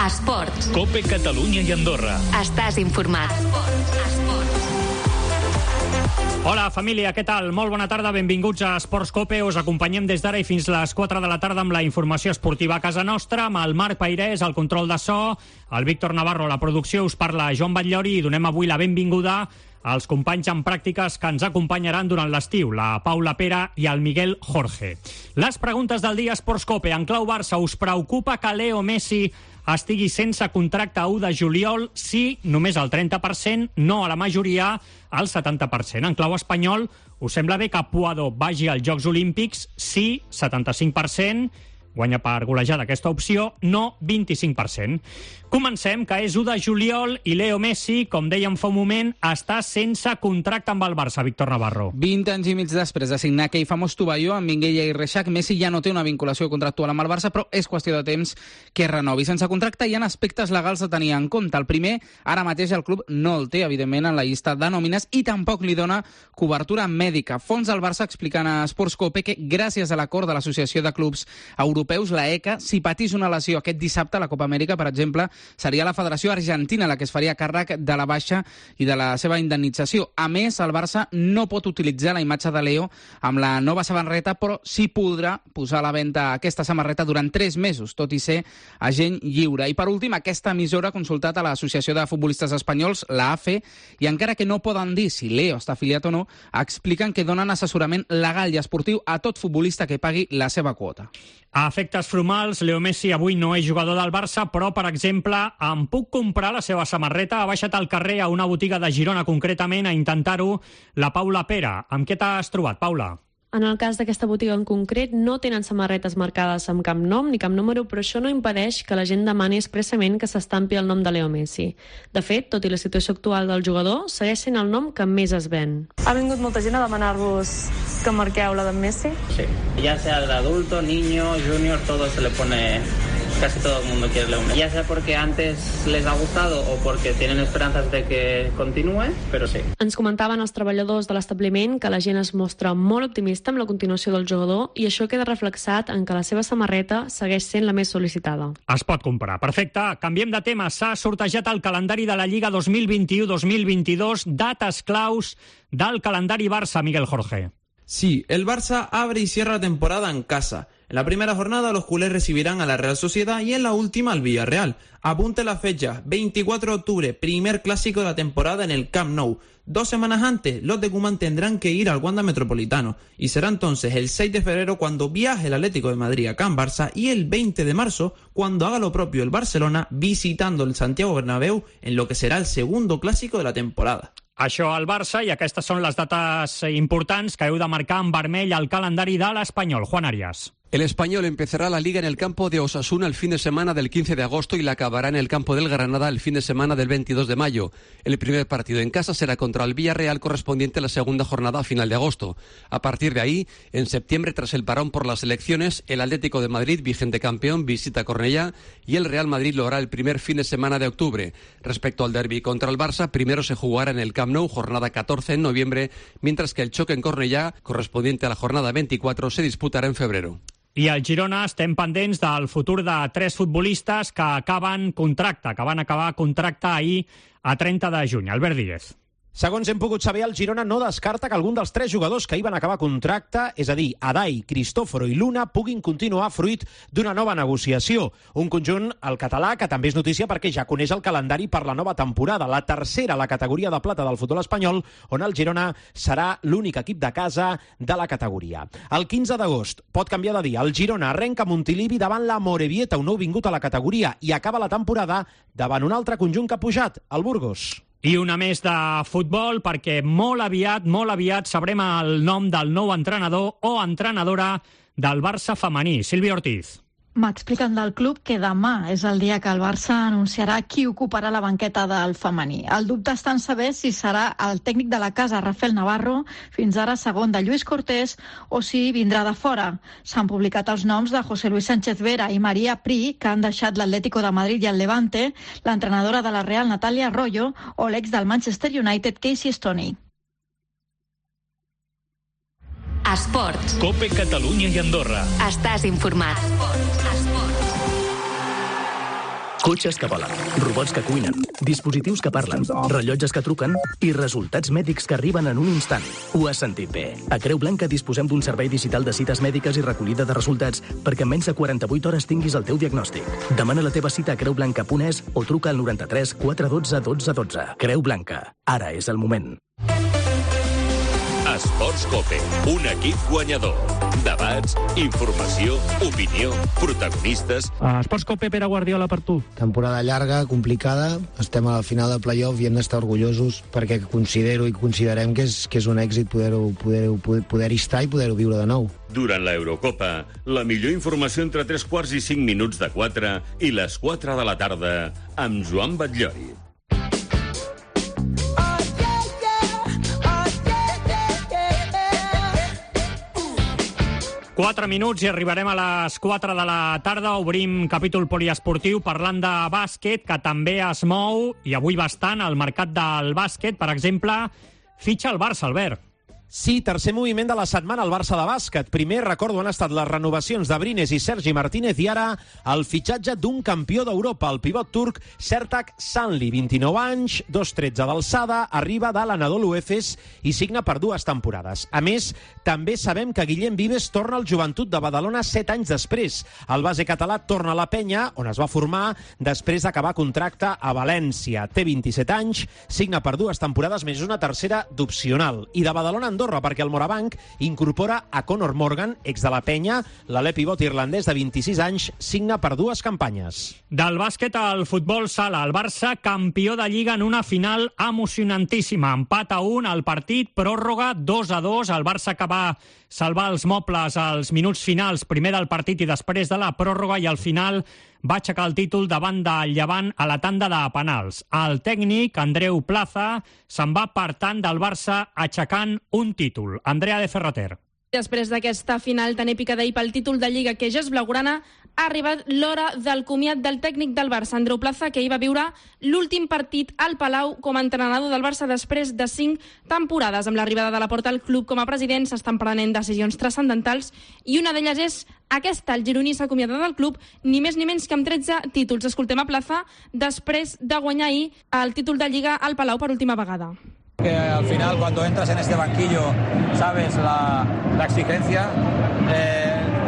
Esports. COPE Catalunya i Andorra. Estàs informat. Hola, família, què tal? Molt bona tarda, benvinguts a Esports COPE. Us acompanyem des d'ara i fins les 4 de la tarda amb la informació esportiva a casa nostra, amb el Marc Peirés, el control de so, el Víctor Navarro, la producció, us parla Joan Batllori i donem avui la benvinguda als companys en pràctiques que ens acompanyaran durant l'estiu, la Paula Pera i el Miguel Jorge. Les preguntes del dia Esports COPE. En clau Barça, us preocupa que Leo Messi estigui sense contracte a 1 de juliol? Sí, només el 30%, no a la majoria, al 70%. En clau espanyol, us sembla bé que Puado vagi als Jocs Olímpics? Sí, 75%. Guanya per golejada aquesta opció, no 25%. Comencem, que és 1 de juliol i Leo Messi, com dèiem fa un moment, està sense contracte amb el Barça, Víctor Navarro. 20 anys i mig després de signar aquell famós tovalló amb Minguella i Reixac, Messi ja no té una vinculació contractual amb el Barça, però és qüestió de temps que renovi. Sense contracte hi ha aspectes legals a tenir en compte. El primer, ara mateix el club no el té, evidentment, en la llista de nòmines i tampoc li dona cobertura mèdica. Fons del Barça explicant a Esports COPE que, gràcies a l'acord de l'Associació de Clubs Europeus, la ECA, si patís una lesió aquest dissabte a la Copa Amèrica, per exemple, seria la Federació Argentina la que es faria càrrec de la baixa i de la seva indemnització. A més, el Barça no pot utilitzar la imatge de Leo amb la nova samarreta, però sí podrà posar a la venda aquesta samarreta durant 3 mesos, tot i ser agent lliure. I per últim, aquesta emissora ha consultat a l'Associació de Futbolistes Espanyols, la AFE, i encara que no poden dir si Leo està afiliat o no, expliquen que donen assessorament legal i esportiu a tot futbolista que pagui la seva quota. A efectes formals, Leo Messi avui no és jugador del Barça, però, per exemple, em puc comprar la seva samarreta? Ha baixat al carrer a una botiga de Girona, concretament, a intentar-ho la Paula Pera. Amb què t'has trobat, Paula? En el cas d'aquesta botiga en concret, no tenen samarretes marcades amb cap nom ni cap número, però això no impedeix que la gent demani expressament que s'estampi el nom de Leo Messi. De fet, tot i la situació actual del jugador, segueix sent el nom que més es ven. Ha vingut molta gent a demanar-vos que marqueu la d'en Messi? Sí, ya sea de adulto, niño, junior, todo se le pone... Casi todo el mundo quiere Leo Messi. Ya sea porque antes les ha gustado o porque tienen esperanzas de que continúe, pero sí. Ens comentaven els treballadors de l'establiment que la gent es mostra molt optimista amb la continuació del jugador i això queda reflexat en que la seva samarreta segueix sent la més sol·licitada. Es pot comprar. Perfecte. Canviem de tema. S'ha sortejat el calendari de la Lliga 2021-2022, dates claus del calendari Barça, Miguel Jorge. Sí, el Barça abre y cierra la temporada en casa. En la primera jornada los culés recibirán a la Real Sociedad y en la última al Villarreal. Apunte la fecha, 24 de octubre, primer clásico de la temporada en el Camp Nou. 2 semanas antes, los de Koeman tendrán que ir al Wanda Metropolitano y será entonces el 6 de febrero cuando viaje el Atlético de Madrid a Can Barça y el 20 de marzo cuando haga lo propio el Barcelona visitando el Santiago Bernabéu en lo que será el segundo clásico de la temporada. Això al Barça, i aquestes són les dates importants que heu de marcar en vermell al calendari de l'Espanyol. Juan Arias. El Español empezará la Liga en el campo de Osasuna el fin de semana del 15 de agosto y la acabará en el campo del Granada el fin de semana del 22 de mayo. El primer partido en casa será contra el Villarreal correspondiente a la segunda jornada a final de agosto. A partir de ahí, en septiembre, tras el parón por las elecciones, el Atlético de Madrid, vigente campeón, visita Cornellá y el Real Madrid lo hará el primer fin de semana de octubre. Respecto al derbi contra el Barça, primero se jugará en el Camp Nou, jornada 14 en noviembre, mientras que el choque en Cornellá, correspondiente a la jornada 24, se disputará en febrero. I al Girona estem pendents del futur de 3 futbolistes que van acabar contracte ahir a 30 de juny. Albert Díez. Segons hem pogut saber, el Girona no descarta que algun dels 3 jugadors que hi van acabar contracte, és a dir, Adai, Cristòforo i Luna, puguin continuar fruit d'una nova negociació. Un conjunt, el català, que també és notícia perquè ja coneix el calendari per la nova temporada, la tercera a la categoria de plata del futbol espanyol, on el Girona serà l'únic equip de casa de la categoria. El 15 d'agost, pot canviar de dia, el Girona arrenca a Montilivi davant la Morevieta, un nou vingut a la categoria, i acaba la temporada davant un altre conjunt que ha pujat, el Burgos. I una més de futbol, perquè molt aviat sabrem el nom del nou entrenador o entrenadora del Barça femení, Sílvia Ortiz. M'expliquen del club que demà és el dia que el Barça anunciarà qui ocuparà la banqueta del femení. El dubte està en saber si serà el tècnic de la casa, Rafael Navarro, fins ara segon de Lluís Cortés, o si vindrà de fora. S'han publicat els noms de José Luis Sánchez Vera i María Pri, que han deixat l'Atlético de Madrid i el Levante, l'entrenadora de la Real, Natalia Arroyo, o l'ex del Manchester United, Casey Stoney. Esports. COPE Catalunya i Andorra. Estàs informat. Cotxes que volen, robots que cuinen, dispositius que parlen, rellotges que truquen i resultats mèdics que arriben en un instant. Ho has sentit bé. A Creu Blanca disposem d'un servei digital de cites mèdiques i recollida de resultats perquè en menys de 48 hores tinguis el teu diagnòstic. Demana la teva cita a creublanca.es o truca al 93 412 12 12. Creu Blanca. Ara és el moment. Esports Cope, un equip guanyador. Debats, informació, opinió, protagonistes... Esports Cope, Pere Guardiola, per tu. Temporada llarga, complicada, estem a la final del play-off i hem d'estar orgullosos perquè considero i considerem que és un èxit poder-hi estar i poder-ho viure de nou. Durant l'Eurocopa, la millor informació entre 3 i 5 minuts de 4 i les 4 de la tarda amb Joan Batllori. 4 minuts i arribarem a les 4 de la tarda. Obrim capítol poliesportiu parlant de bàsquet, que també es mou, i avui bastant, al mercat del bàsquet. Per exemple, fitxa el Barça, Albert. Sí, tercer moviment de la setmana al Barça de bàsquet. Primer, recordo, han estat les renovacions d'Abrines i Sergi Martínez i ara el fitxatge d'un campió d'Europa, el pivot turc Sertac Sanli, 29 anys, 2,13 d'alçada, arriba de l'Anadolu Efes i signa per 2 temporades. A més, també sabem que Guillem Vives torna al Joventut de Badalona 7 anys després. El base català torna a la Penya, on es va formar després d'acabar contracte a València. Té 27 anys, signa per 2 temporades més una tercera d'opcional. I de Badalona Andorra, perquè el Morabanc incorpora a Conor Morgan, ex de la Penya. L'alè pivot irlandès de 26 anys signa per 2 campanyes. Del bàsquet al futbol sala, el Barça campió de Lliga en una final emocionantíssima. Empat a 1 al partit, pròrroga 2-2. El Barça que va salvar els mobles als minuts finals, primer del partit i després de la pròrroga, i al final va aixecar el títol davant del Llevant a la tanda de penals. El tècnic, Andreu Plaza, se'n va per tant del Barça aixecant un títol. Andrea de Ferrater. Després d'aquesta final tan èpica d'ahir pel títol de Lliga, que ja és blaugrana, ha arribat l'hora del comiat del tècnic del Barça, Andreu Plaza, que hi va viure l'últim partit al Palau com a entrenador del Barça després de 5 temporades. Amb l'arribada de Laporta al club com a president s'estan prenent decisions transcendentals i una d'elles és aquesta. El gironí s'ha acomiadat del club ni més ni menys que amb 13 títols. Escoltem a Plaza després de guanyar ahir el títol de Lliga al Palau per última vegada. Que al final, cuando entras en este banquillo, sabes la exigencia.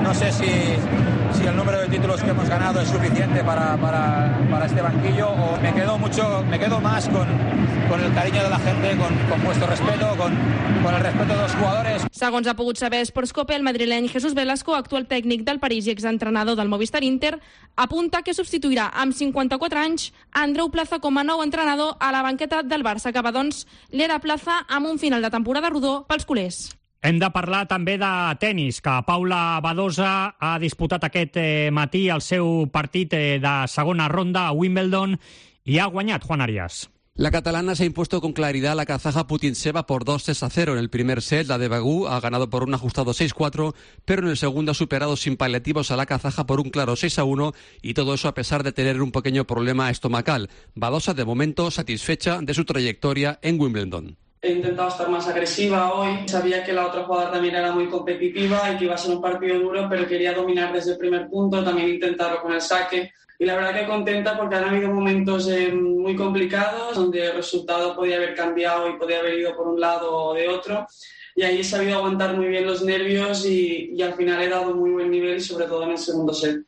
No sé si el número de títulos que hemos ganado es suficiente para este banquillo, o me quedo más con el cariño de la gente, con vuestro respeto, con el respeto de los jugadores. Segons ha pogut saber Sports Cope, el madrileny Jesús Velasco, actual tècnic del París i exentrenador del Movistar Inter, apunta que substituirà amb 54 anys Andreu Plaza com a nou entrenador a la banqueta del Barça. Acaba, doncs, l'era Plaza amb un final de temporada rodó pels culers. Hem de parlar també de tennis, que Paula Badosa ha disputat aquest matí el seu partit de segona ronda a Wimbledon i ha guanyat, Juan Arias. La catalana se ha impuesto con claridad a la kazaja Putintseva por 2-6-0 en el primer set. La de Bagú ha ganado por un ajustado 6-4, pero en el segundo ha superado sin paliativos a la kazaja por un claro 6-1, y todo eso a pesar de tener un pequeño problema estomacal. Badosa, de momento, satisfecha de su trayectoria en Wimbledon. He intentado estar más agresiva hoy. Sabía que la otra jugadora también era muy competitiva y que iba a ser un partido duro, pero quería dominar desde el primer punto, también intentarlo con el saque. Y la verdad que contenta porque han habido momentos muy complicados donde el resultado podía haber cambiado y podía haber ido por un lado o de otro. Y ahí he sabido aguantar muy bien los nervios y al final he dado muy buen nivel, y sobre todo en el segundo set.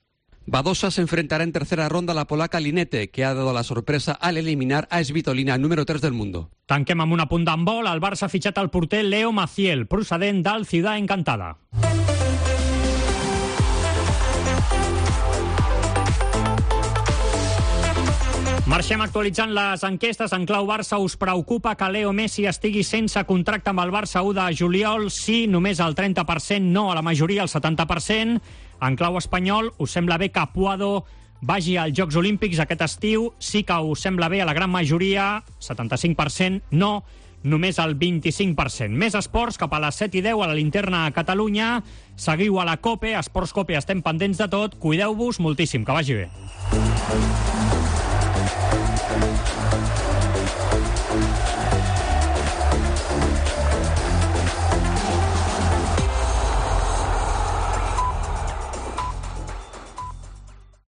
Badosa se enfrentará en tercera ronda a la polaca Linette, que ha dado la sorpresa al eliminar a Svitolina, número 3 del mundo. Tanquem amb un apunt d'handbol. El Barça ha fitxat el porter Leo Maciel, procedent del Ciudad Encantada. Marxem actualitzant les enquestes. En clau Barça, us preocupa que Leo Messi estigui sense contracte amb el Barça 1 de juliol? Sí, només el 30%, no a la majoria, el 70%. En clau espanyol, us sembla bé que Puado vagi als Jocs Olímpics aquest estiu? Sí que us sembla bé a la gran majoria, 75%, no, només el 25%. Més esports, cap a les 7:10 a la Linterna a Catalunya. Seguiu a la COPE, Esports COPE, estem pendents de tot. Cuideu-vos moltíssim, que vagi bé.